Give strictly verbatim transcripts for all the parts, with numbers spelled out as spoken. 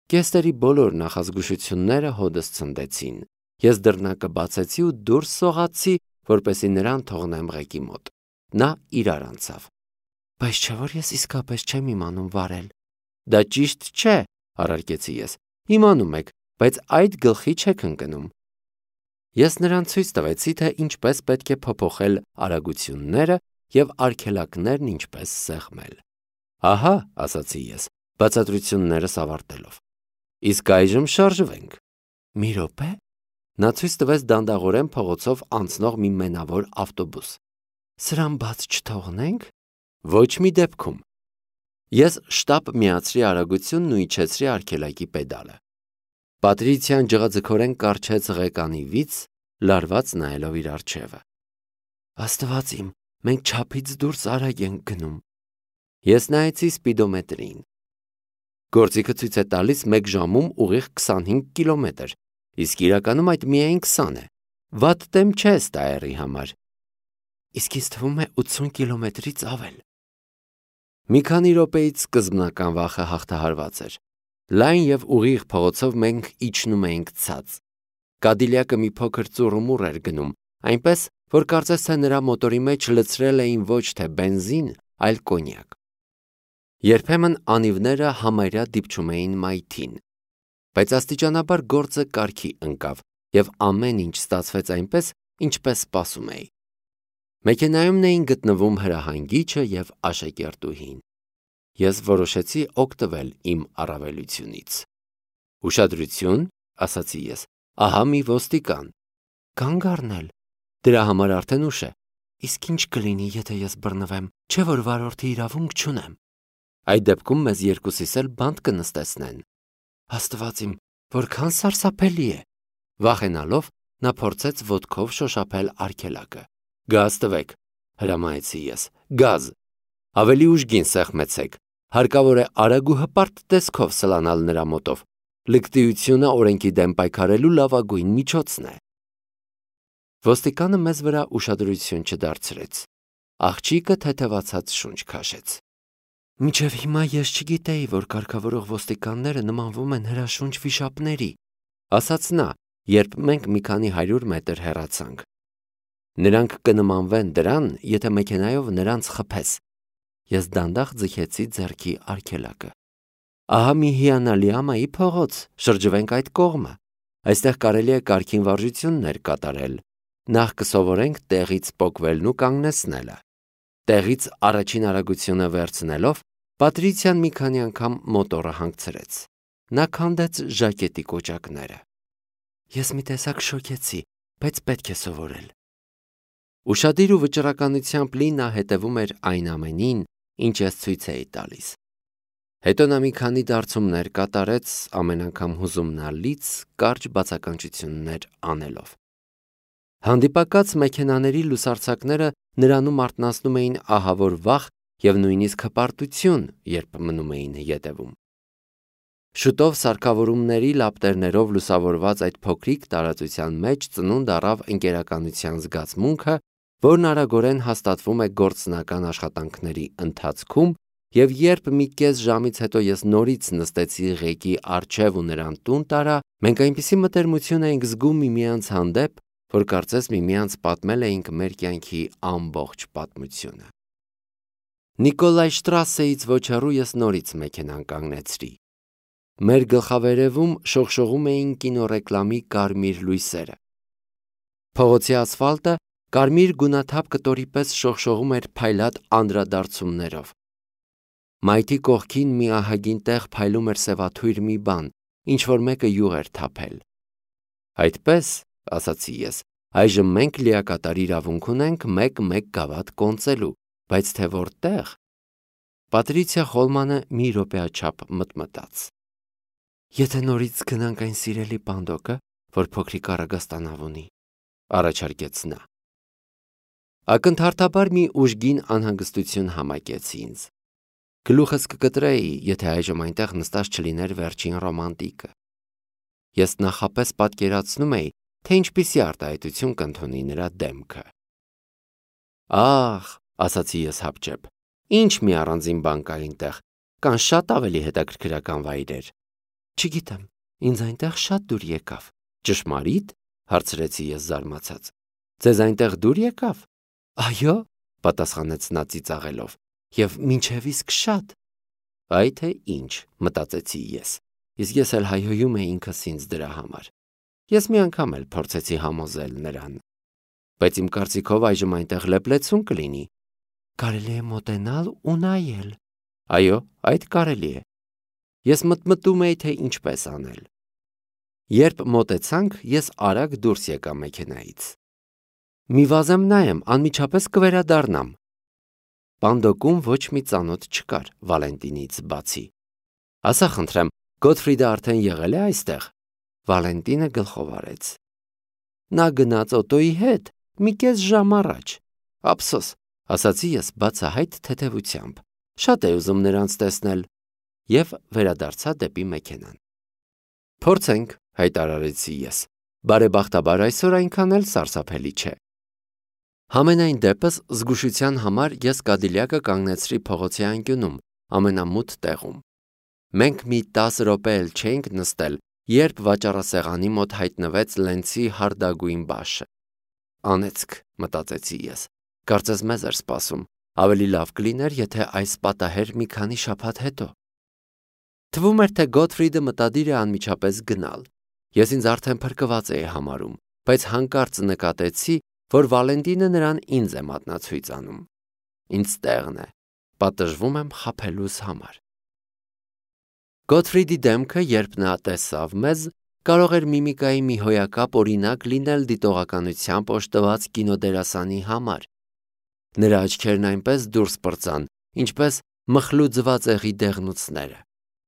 Կեստերի բոլոր նախազգուշությունները հոդս ցնդեցին։ Ես դռնակը բացեցի ու դուրս սողացի, որպեսզի նրան թողնեմ ղեկի մոտ։ Նա իրար անցավ։ Բայց չէ՞ որ ես իսկապես չեմ իմանում վարել։ Դա ճիշտ չէ, առարկեցի ես։ Իմանում եք, բայց այդ գլխի չեք ընկնում։ Ես նրան ցույց տվեցի, թե ինչպես պետք է փոփոխել արագությունները և արգելակներն ինչպես սեղմել։ Ահա, ասացի ես, բացատրություններս ավարտելով։ Իսկ այժմ շարժվենք։ Մի րոպե։ Նա ցույց տվեց դանդաղորեն փողոցով անցնող մի մենավոր ավտոբուս։ Սրան բաց չթողնենք։ Ոչ մի դեպքում։ Ես շտապ միացրի արագությունն ու իջեցրի արգելակի պեդալը։ Պատրիցիան ջղաձգորեն կառչեց ղեկանի վից, լարված նայելով իր առջևը։ Աստված իմ, մենք չափից դուրս արագ ենք գնում։ Ես նայեցի սպիդոմետրին։ Գործիքը ցույց է տալիս մեկ ժամում ուղիղ քսանհինգ կիլոմետր, իսկ իրականում այդ միայն քսան է։ Վատ տեմ չէ ստայերի համար։ Իսկ ինձ թվում է ութսուն կիլոմետրից ավել։ Մի քանի րոպեից սկզբնական վախը հաղթահարված էր։ Լայն և ուղիղ փողոցով մենք իջնում էինք ցած։ Կադիլյակը մի փոքր ծուռումուռ էր գնում, այնպես, որ կարծես թե նրա մոտորի մեջ լցրել էին ոչ թե բենզին, այլ կոնյակ։ Երբեմն անիվները համարյա դիպչում էին մայթին։ Բայց աստիճանաբար գործը կարգի ընկավ, և ամեն ինչ ստացվեց այնպես, ինչպես սպասում էի։ Մեքենայումն էին գտնվում հրահանգիչը և աշակերտուհին։ Ես որոշեցի օգտվել իմ առավելությունից։ Ուշադրություն, ասացի ես, ահա մի ոստիկան։ Կանգ առնել։ Դրա համար արդեն ուշ է։ Իսկ ինչ կլինի, եթե ես բռնվեմ, չէ՞ որ վարորդի իրավունք չունեմ։ Այդ դեպքում մեզ երկուսիս էլ բանտ կնստեցնեն։ Աստված իմ, որքան սարսափելի է։ Վախենալով, նա փորձեց ոտքով շոշափել արգելակը։ Գազ տվեք, հրամայեցի ես, գազ։ Ավելի ուժգին սեղմեցեք։ Հարկավոր է արագ ու հպարտ տեսքով սլանալ նրա մոտով։ Լկտիությունը օրենքի դեմ պայքարելու լավագույն միջոցն է։ Ոստիկանը մեզ վրա ուշադրություն չդարձրեց։ Աղջիկը թեթևացած շունչ քաշեց։ Մինչև հիմա ես չգիտեի, որ կարգավորող ոստիկանները նմանվում են հրաշունչ վիշապների, ասաց նա, երբ մենք մի քանի հարյուր մետր հեռացանք։ Նրանք կնմանվեն դրան, եթե մեքենայով նրանց խփես։ Ես դանդաղ ձգեցի ձեռքի արգելակը։ Ահա մի հիանալի ամայի փողոց, շրջվենք այդ կողմը։ Այստեղ կարելի է կարգին վարժություններ կատարել։ Նախ կսովորենք տեղից պոկվելն ու կանգնեցնելը։ Տեղից առաջին արագությունը վերցնելով, Պատրիցիան մի քանի անգամ մոտորը հանգցրեց։ Նա քանդեց ժակետի կոճակները։ Ես մի տեսակ շոկեցի, բայց պետք է սովորել։ Ուշադիր ու վճռականությամբ լի նա հետևում էր այն ամենին, ինչ ես ցույց էի տալիս։ Հետո նա մի քանի դարձումներ կատարեց, ամեն անգամ հուզումնալից կարճ բացականչություններ անելով։ Հանդիպակաց մեքենաների լուսարձակները նրանում արթնացնում էին ահավոր վախ և նույնիսկ հպարտություն, երբ մնում էին ետևում։ Շուտով սարքավորումների լապտերներով լուսավորված այդ փոքրիկ տարածության մեջ ծնունդ առավ ընկերականության զգացմունքը, որն արագորեն հաստատվում է գործնական աշխատանքների ընթացքում, և երբ մի կես ժամից հետո ես նորից նստեցի ղեկի առջև ու նրան տուն տարա, մենք այնպիսի մտերմություն էինք զգում միմյանց հանդեպ, որ կարծես միմյանց պատմել էինք մեր կյանքի ամբողջ պատմությունը։ Նիկոլայ Շտրասեից ոչ հեռու ես նորից մեքենան կանգնեցրի։ Մեր գլխավերևում շողշողում էին կինոռեկլամի կարմիր լույսերը։ Փողոցի ասֆալտը կարմիր գունաթափ կտորի պես շողշողում էր փայլատ անդրադարձումներով։ Մայթի կողքին մի ահագին տեղ փայլում էր սևաթույր մի բան, ինչ-որ մեկը յուղ էր թափել։ Այդպես, ասացի ես, այժմ մենք լիակատար իրավունք ունենք մեկ-մեկ գավաթ կոնծելու, բայց թե որտեղ։ Պատրիցիա Խոլմանը մի րոպեաչափ մտմտաց։ Եթե նորից գնանք այն սիրելի պանդոկը, որ փոքրիկ առագաստանավ ունի, առաջարկեց նա։ Ակնթարթաբար մի ուժգին անհանգստություն համակեց ինձ։ Գլուխս կկտրեի, եթե այժմ այնտեղ նստած չլիներ վերջին ռոմանտիկը։ Ես նախապես պատկերացնում էի, թե ինչպիսի արտահայտություն կընդունի նրա դեմքը։ Ախ, ասացի ես հապճեպ, ինչ մի առանձին բան կա այնտեղ, կան շատ ավելի հետաքրքրական վայրեր։ Չգիտեմ, ինձ այնտեղ շատ դուր եկավ։ Ճշմարիտ, հարցրեցի ես զարմացած։ Ձեզ այնտեղ դուր եկավ։ Այո, պատասխանեց նա ծիծաղելով, եւ մինչև իսկ շատ։ Այ թե ինչ, մտածեցի ես, իսկ ես էլ հայհոյում էի ինքս ինձ դրա համար։ Ես մի անգամ էլ փորձեցի համոզել նրան։ Բայց իմ կարծիքով այժմ այնտեղ լեփլեցուն կլինի։ Կարելի է մոտենալ ու նայել։ Այո, այդ կարելի է։ Ես մտմտում էի, թե ինչպես անել։ Երբ մոտեցանք, ես արագ դուրս եկա մեքենայից։ Մի վազեմ նայեմ, անմիջապես կվերադառնամ։ Պանդոկում ոչ մի ծանոթ չկար Վալենտինից բացի։ Ասա խնդրեմ, Գոթֆրիդը արդեն եղել է այստեղ։ Վալենտինը գլխով արեց։ Նա գնաց օտոյի հետ, մի կես ժամ առաջ։ Ափսոս, ասացի ես բացահայտ թեթևությամբ։ Շատ է ուզում նրանց տեսնել։ Եվ վերադարձա դեպի մեքենան։ Փորձենք, հայտարարեցի ես։ Բարեբախտաբար այսօր այնքան էլ սարսափելի չէ։ Համենայն դեպս զգուշության համար ես Կադիլյակը կանգնեցրի փողոցի անկյունում, ամենամութ տեղում։ Մենք մի տասը րոպե էլ չէինք նստել, երբ վաճառասեղանի մոտ հայտնվեց Լենցի հարդագույն բաշը։ Անեծք, մտածեցի ես, կարծես մեզ էր սպասում, ավելի լավ կլիներ, եթե այս պատահեր մի քանի շաբաթ հետո։ Թվում էր, թե Գոթֆրիդը մտադիր է անմիջապես գնալ։ Ես ինձ արդեն փրկված էի համարում, բայց հանկարծ նկատեցի, որ Վալենտինը նրան ինձ է մատնացույց անում։ Ինձ տեղն է, պատժվում եմ խաբելուս համար։ Գոթֆրիդի դեմքը, երբ նա տեսավ մեզ, կարող էր միմիկայի մի հոյակապ օրինակ լինել դիտողականությամբ օժտված կինոդերասանի համար։ Նրա աչքերն այնպես դուրս պրծան, ինչպես մխլու ձվածեղի դեղնուցները,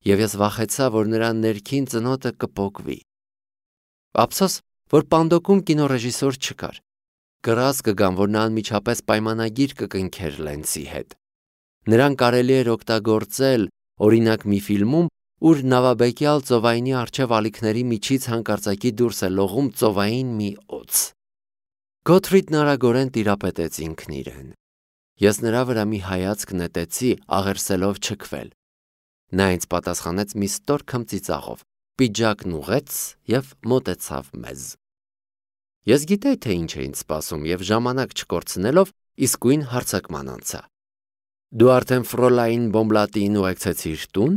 եւ ես վախեցա, որ նրա ներքին ծնոտը կպոկվի։ Ափսոս, որ Պանդոկում կինոռեժիսոր չկար։ Կռազ կգամ, որ նա անմիջապես պայմանագիր կկնքեր Լենցի հետ։ Նրան կարելի էր օգտագործել, օրինակ մի ֆիլմում, ուր նավաբեկյալ ծովայինի առջև ալիքների միջից հանկարծակի դուրս է լողում ծովային մի օձ։ Գոթֆրիդն արագորեն տիրապետեց ինքն իրեն։ Ես նրա վրա մի հայացք նետեցի, աղերսելով չքվել։ Նա ինձ պատասխանեց մի ստոր քմծիծաղով, պիջակն ուղեց եւ մոտեցավ մեզ։ Ես գիտեի, թե ինչ է ինձ սպասում եւ ժամանակ չկորցնելով իսկույն հարցակման անցա։ Դու արդեն Ֆրոլայն Բոմբլատին ուղեկցեցիր տուն։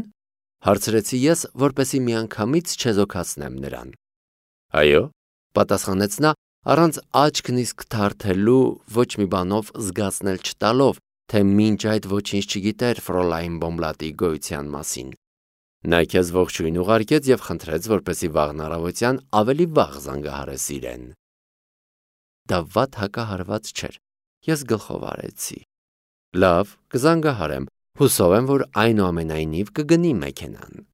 Հարցրեցի ես, որպեսի միանգամից չեզոքացնեմ նրան։ Այո, պատասխանեց նա, առանց աչքն իսկ թարթելու, ոչ մի բանով զգացնել չտալով, թե մինչ այդ ոչինչ չգիտեր Ֆրոլայն Բոմբլատի գոյության մասին։ Նա քեզ ողջույն ուղարկեց եւ խնդրեց, որպեսի վաղն առավոտյան ավելի վաղ զանգահարես իրեն։ Դա վատ հակահարված չէր։ Ես գլխով արեցի։ Լավ, կզանգահարեմ։ Հուսով եմ, որ այնուամենայնիվ կգնի մեքենան։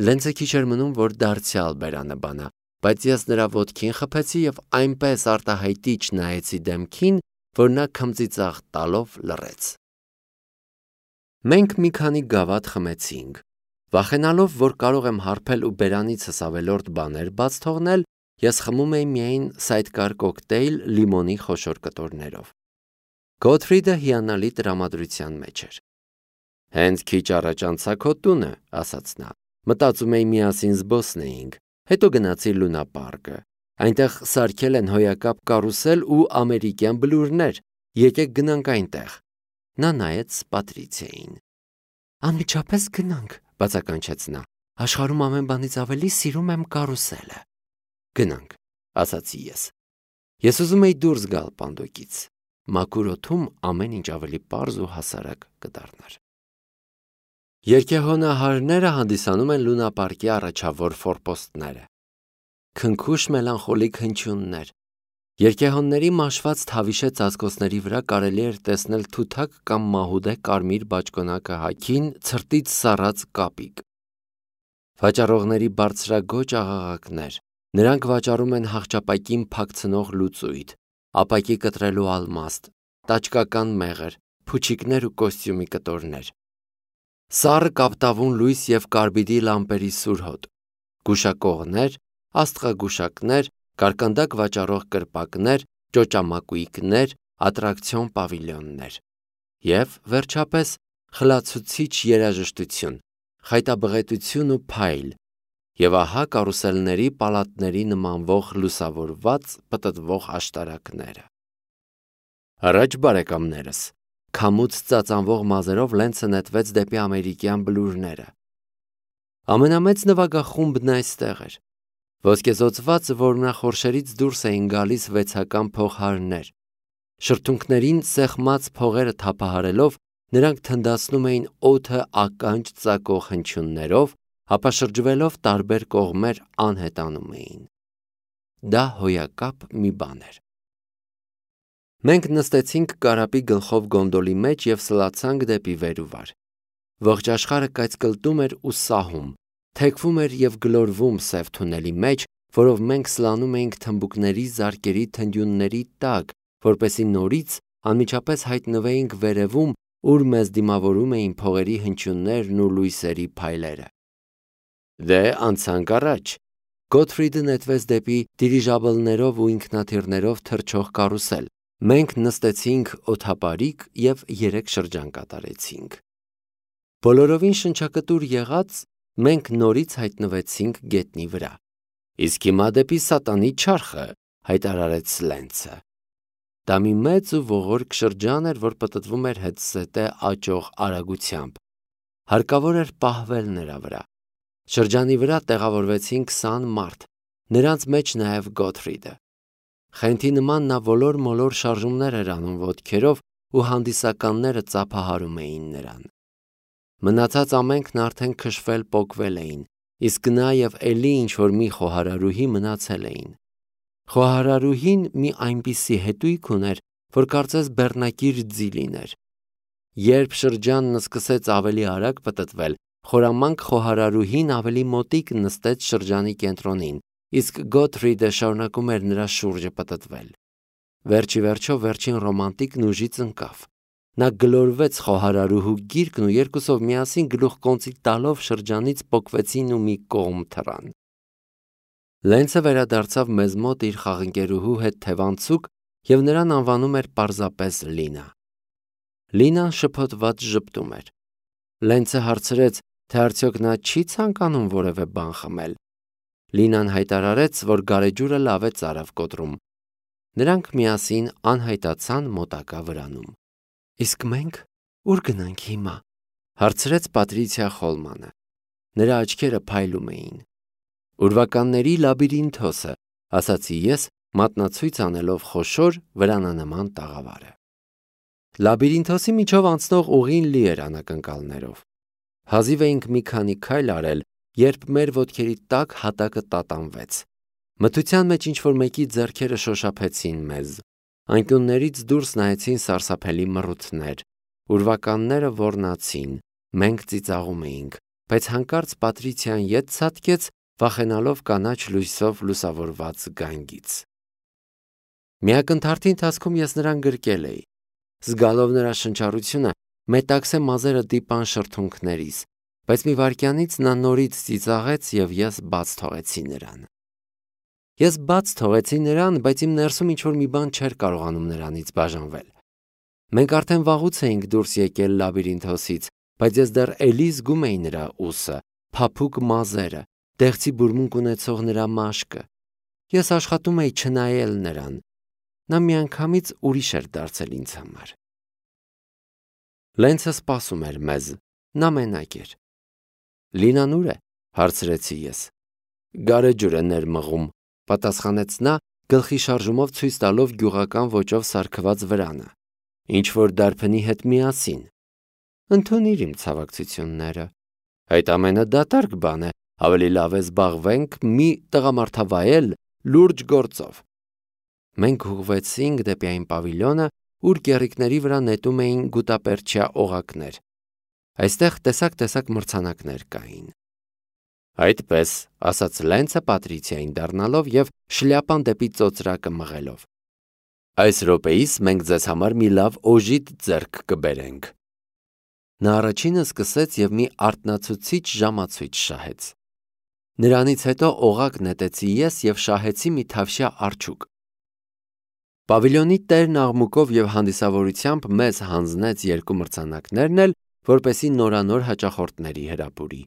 Լենցը քիչ էր մնում, որ դարձյալ բերանը բանա, բայց ես նրա ոտքին խփեցի եւ այնպես արտահայտիչ նայեցի դեմքին, որ նա քմծիծաղ տալով լռեց։ Մենք մի քանի գավաթ խմեցինք։ Վախենալով, որ կարող եմ հարբել ու բերանիցս ավելորդ բաներ բաց թողնել, ես խմում էի միայն սայդկար կոկտեյլ լիմոնի խոշոր կտորներով։ Գոթֆրիդը հիանալի տրամադրության մեջ էր։ Հենց քիչ առաջ անցա քո տունը, ասաց նա։ Մտածում էի միասին զբոսնեինք, հետո գնացի Լունա պարկը։ Այնտեղ սարքել են հոյակապ կարուսել ու ամերիկյան բլուրներ։ Եկեք գնանք այնտեղ։ Նա նայեց Պատրիցիային։ Անմիջապես գնանք, բացականչեց նա։ Աշխարհում ամեն բանից ավելի սիրում եմ կարուսելը։ Գնանք, ասացի ես։ Ես ուզում էի դուրս գալ Պանդոկից։ Մաքուր օդում ամեն ինչ ավելի պարզ ու հասարակ կդառնար։ Երկեհոնահարները հանդիսանում են Լունա պարկի առաջավոր ֆորպոստները։ Քնքուշ մելանխոլիկ հնչյուններ։ Երկեհոնների մաշված թավիշե ծածկոցների վրա կարելի էր տեսնել թութակ կամ մահուդե կարմիր բաճկոնակը հագին ցրտից սառած կապիկ։ Վաճառողների բարձրագոճ աղաղակներ։ Նրանք վաճառում են հաղճապակին փակցնող լուծույթ, ապակի կտրելու ալմաստ, տաճկական մեղր, փուչիկներ ու կոստյումի կտորներ։ Սառը կապտավուն լույս եւ կարբիդի լամպերի սուրհոտ, գուշակողներ, աստղագուշակներ, կարկանդակ վաճառող կրպակներ, ճոճամակույկներ, ատրակցիոն պավիլյոններ։ Եվ, վերջապես, խլացուցիչ երաժշտություն, խայտաբղետություն ու փայլ, եւ ահա կարուսելների պալատների նմանվող լուսավորված պտտվող աշտարակները։ Առաջ բարեկամներս, քամուց ծածանվող մազերով Լենցը նետվեց դեպի ամերիկյան բլուրները։ Ամենամեծ նվագախումբն այստեղ էր։ Ոսկեզօծված որմնախորշերից դուրս էին գալիս վեցական փողհարներ։ Շրթունքներին սեղմած փողերը թափահարելով նրանք թնդացնում էին օդը ականջ ծակող հնչյուններով, ապա շրջվելով տարբեր կողմեր անհետանում էին։ Դա հոյակապ մի բան էր։ Մենք նստեցինք կարապի գլխով գոնդոլի մեջ և սլացանք դեպի վեր ու վար։ Ողջ աշխարհը կայծկլտում էր ու սահում, թեքվում էր և գլորվում սև թունելի մեջ, որով մենք սլանում էինք թմբուկների զարկերի թնդյունների տակ, որպեսզի նորից անմիջապես հայտնվեինք վերևում, ուր մեզ դիմավորում էին փողերի հնչյուններն ու լույսերի փայլերը։ Դե անցանք առաջ։ Գոթֆրիդը նետվեց դեպի դիրիժաբլներով ու ինքնաթիռներով թռչող կարուսել։ Մենք նստեցինք օդապարիկ և երեք շրջան կատարեցինք։ Բոլորովին շնչակտուր եղած, մենք նորից հայտնվեցինք գետնի վրա։ Իսկ հիմա դեպի սատանի չարխը, հայտարարեց Լենցը։ Դա մի մեծ ու ողորկ շրջան էր, որ պտտվում էր հետզհետե աճող արագությամբ։ Հարկավոր էր պահվել նրա վրա։ Շրջանի վրա տեղավորվեցին քսան մարդ, նրանց մեջ նաև Գոթֆրիդը։ Խենթի նման նա ոլոր-մոլոր շարժումներ էր անում ոտքերով ու հանդիսականները ծափահարում էին նրան։ Մնացած ամենքն արդեն քշվել պոկվել էին, իսկ նա և էլի ինչ-որ մի խոհարարուհի մնացել էին։ Խոհարարուհին մի այնպիսի հետույք ուներ, որ կարծես բեռնակիր ձի լիներ։ Երբ շրջանն սկսեց ավելի արագ պտտվել, խորամանկ խոհարարուհին ավելի մոտիկ նստեց շրջանի կենտրոնին, իսկ Գոթֆրիդը շարունակում էր նրա շուրջը պտտվել։ Վերջ ի վերջո վերջին ռոմանտիկն ուժից ընկավ։ Նա գլորվեց խոհարարուհու գիրկն ու երկուսով միասին գլուխկոնծի տալով շրջանից պոկվեցին ու մի կողմ թռան։ Լենցը վերադարձավ մեզ մոտ իր խաղընկերուհու հետ թևանցուկ և նրան անվանում էր պարզապես Լինա։ Լինան շփոթված ժպտում էր։ Լենցը հարցրեց, թե արդյոք նա չի ցանկանում որևէ բան խմել։ Լինան հայտարարեց, որ գարեջուրը լավ է ծարավ կոտրում։ Նրանք միասին անհայտացան մոտակա վրանում։ Իսկ մենք ուր գնանք հիմա, հարցրեց Պատրիցիա Խոլմանը։ Նրա աչքերը փայլում էին։ Ուրվականների լաբիրինթոսը, ասացի ես, մատնացույց անելով խոշոր վրանանման տաղավարը։ Լաբիրինթոսի միջով անցնող ուղին լի էր անակնկալներով։ Հազիվ էինք մի քանի քայլ արել, երբ մեր ոտքերի տակ հատակը տատանվեց։ Մթության մեջ ինչ-որ մեկի ձեռքերը շոշափեցին մեզ։ Անկյուններից դուրս նայեցին սարսափելի մռութներ։ Ուրվականները ոռնացին, մենք ծիծաղում էինք, բայց հանկարծ Պատրիցիան ետ ցատկեց, վախենալով կանաչ լույսով լուսավորված գանգից։ Մի ակնթարթի ընթացքում ես նրան գրկել էի։ Զգալով նրա շնչառությունը, մետաքսե մազերը դիպան շրթունքներիս, բայց մի վայրկյանից նա նորից ծիծաղեց և ես բաց թողեցի նրան։ Ես բաց թողեցի նրան, բայց իմ ներսում ինչ-որ մի բան չէր կարողանում նրանից բաժանվել։ Մենք արդեն վաղուց էինք դուրս եկել լաբիրինթոսից, բայց ես դեռ էլի զգում էի նրա ուսը, փափուկ մազերը, դեղցի բուրմունք ունեցող նրա մաշկը։ Ես աշխատում էի չնայել նրան։ Նա միանգամից ուրիշ էր դարձել ինձ համար։ Լենցը սպասում էր մեզ, նա մենակ էր։ Լինան ուր է, հարցրեցի ես։ Գարեջուր է ներմղում, պատասխանեց նա, գլխի շարժումով ցույց տալով գյուղական ոճով սարքված վրանը։ Ինչ-որ դարբնի հետ միասին։ Ընդունիր իմ ցավակցությունները։ Այդ ամենը դատարկ բան է, ավելի լավ է զբաղվենք մի տղամարդավայել լուրջ գործով։ Մենք ուղղվեցինք դեպի այն պավիլյոնը, ուր կեռիկների վրա նետում էին գուտապերճյա օղակներ։ Այստեղ տեսակ-տեսակ մրցանակներ կային։ Այդպես, ասաց Լենցը Պատրիցիային դառնալով և շլյապան դեպի ծոծրակը մղելով։ Այս րոպեիս մենք ձեզ համար մի լավ օժիտ ձեռք կբերենք։ Նա առաջինը սկսեց և մի արթնացուցիչ ժամացույց շահեց։ Նրանից հետո օղակ նետեցի ես և շահեցի մի թավշյա արջուկ։ Պավիլյոնի տերն աղմուկով և հանդիսավորությամբ մեզ հանձնեց երկու մրցանակներն էլ, որպեսզի նորանոր հաճախորդների հրապուրի։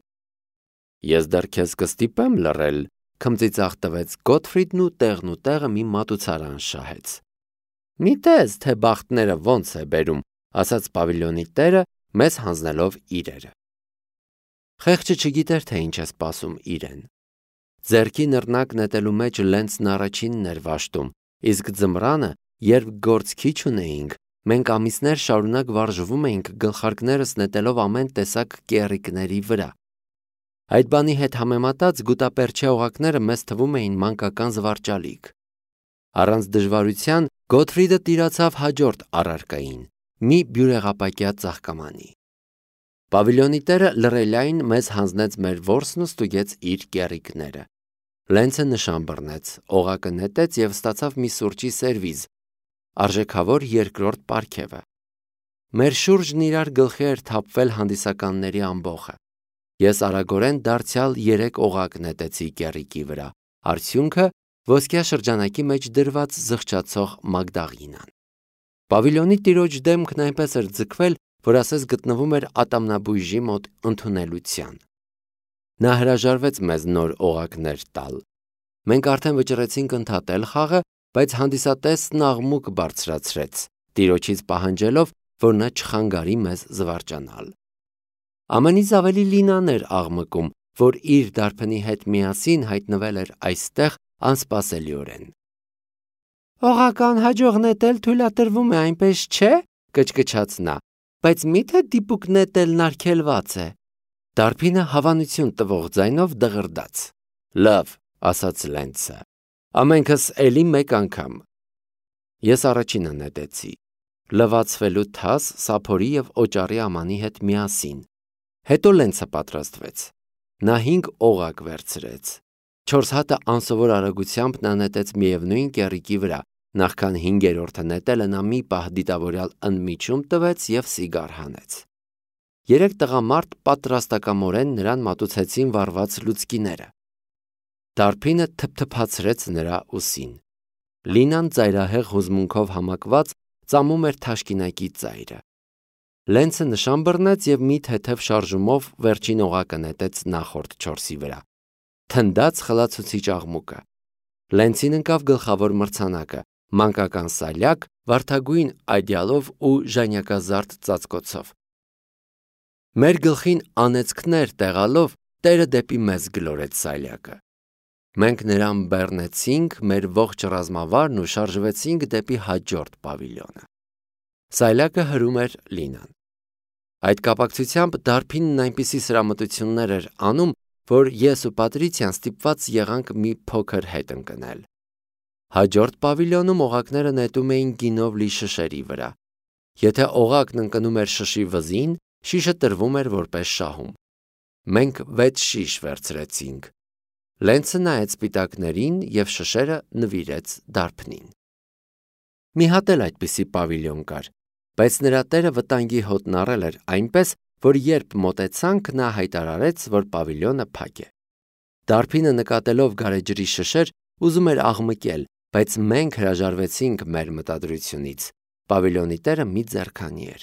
Ես դեռ քեզ կստիպեմ լռել, քմծիծաղ տվեց Գոթֆրիդն ու տեղն ու տեղը մի մատուցարան շահեց։ Մի տես, թե բախտները ոնց է բերում, ասաց պավիլյոնի տերը, մեզ հանձնելով իրերը։ Խեղճը չգիտեր, թե ինչ է սպասում իրեն։ Ձեռքի նռնակ նետելու մեջ Լենցն առաջինն էր վաշտում, իսկ ձմռանը, երբ գործ քիչ ունեինք, մենք ամիսներ շարունակ վարժվում էինք գլխարկներս նետելով ամեն տեսակ կեռիկների վրա։ Այդ բանի հետ համեմատած գուտապերչե օղակները մեզ թվում էին մանկական զվարճալիք։ Առանց դժվարության Գոթֆրիդը տիրացավ հաջորդ առարկային՝ մի բյուրեղապակյա ծաղկամանի։ Պավիլյոնի տերը լռելային մեզ հանձնեց մեր որսն ու ստուգեց իր կեռիկները։ Լենցը նշան բռնեց, օղակը նետեց և ստացավ մի սուրճի սերվիզ, արժեքավոր երկրորդ պարգևը։ Մեր շուրջն իրար գլխի էր թափվել հանդիսականների ամբոխը։ Ես արագորեն դարձյալ երեք օղակ նետեցի կեռիկի վրա, արդյունքը ոսկյա շրջանակի մեջ դրված զղջացող Մագդաղինան։ Պավիլյոնի տիրոջ դեմքն այնպես էր ձգվել, որ ասես գտնվում էր ատամնաբույժի մոտ ընդունելության։ Նա հրաժարվեց մեզ նոր օղակներ տալ։ Մենք արդեն վճռեցինք ընդհատել խաղը, բայց հանդիսատեսն աղմուկ բարձրացրեց, տիրոջից պահանջելով, որ նա չխանգարի մեզ զվարճանալ։ Ամենից ավելի Լինան էր աղմկում, որ իր դարբնի հետ միասին հայտնվել էր այստեղ անսպասելիորեն։ Օղական հաջող նետել թույլատրվում է, այնպես չէ, կչկչաց նա, բայց միթե դիպուկ նետելն արգելված է։ Դարբինը հավանություն տվող ձայնով դղրդաց։ Լավ, ասաց Լենցը, ամենքս էլի մեկ անգամ։ Ես առաջինը նետեցի, լվացվելու թաս, սափորի և օճառի ամանի հետ միասին։ Հետո Լենցը պատրաստվեց։ Նա հինգ օղակ վերցրեց։ Չորս հատը անսովոր արագությամբ նա նետեց միևնույն կեռիկի վրա, նախքան հինգերորդը նետելը նա մի պահ դիտավորյալ ընդմիջում տվեց և սիգար հանեց։ Երեք տղամարդ պատրաստակամորեն նրան մատուցեցին վառված լուցկիները։ Դարբինը թփթփացրեց նրա ուսին։ Լինան ծայրահեղ հուզմունքով համակված ծամում էր թաշկինակի ծայրը։ Լենցը նշան բռնեց և մի թեթև շարժումով վերջին օղակը նետեց նախորդ չորսի վրա։ Թնդաց խլացուցիչ աղմուկը։ Լենցին ընկավ գլխավոր մրցանակը՝ մանկական սալյակ, վարդագույն այդյալով ու ժանյակազարդ ծածկոցով։ Մեր գլխին անեծքներ տեղալով տերը դեպի մեզ գլորեց սալյակը։ Մենք նրան բեռնեցինք մեր ողջ ռազմավարն ու շարժվեցինք դեպի հաջորդ պավիլյոնը։ Սայլակը հրում էր Լինան։ Այդ կապակցությամբ դարբինն այնպիսի սրամտություններ էր անում, որ ես ու Պատրիցիան ստիպված եղանք մի փոքր հետ ընկնել։ Հաջորդ պավիլյոնում օղակները նետում էին գինով լի շշերի վրա։ Եթե օղակն ընկնում էր շշի վզին, շիշը տրվում էր որպես շահում։ Մենք վեց շիշ վերցրեցինք։ Լենցը նայեց սպիտակներին և շշերը նվիրեց դարբնին։ Մի հատ էլ այդպիսի պավիլյոն կար, բայց նրա տերը վտանգի հոտն առել էր այնպես, որ երբ մոտեցանք, նա հայտարարեց, որ պավիլյոնը փակ է։ Դարբինը նկատելով գարեջրի շշեր, ուզում էր աղմկել, բայց մենք հրաժարվեցինք մեր մտադրությունից։ Պավիլյոնի տերը մի ձեռքանի էր։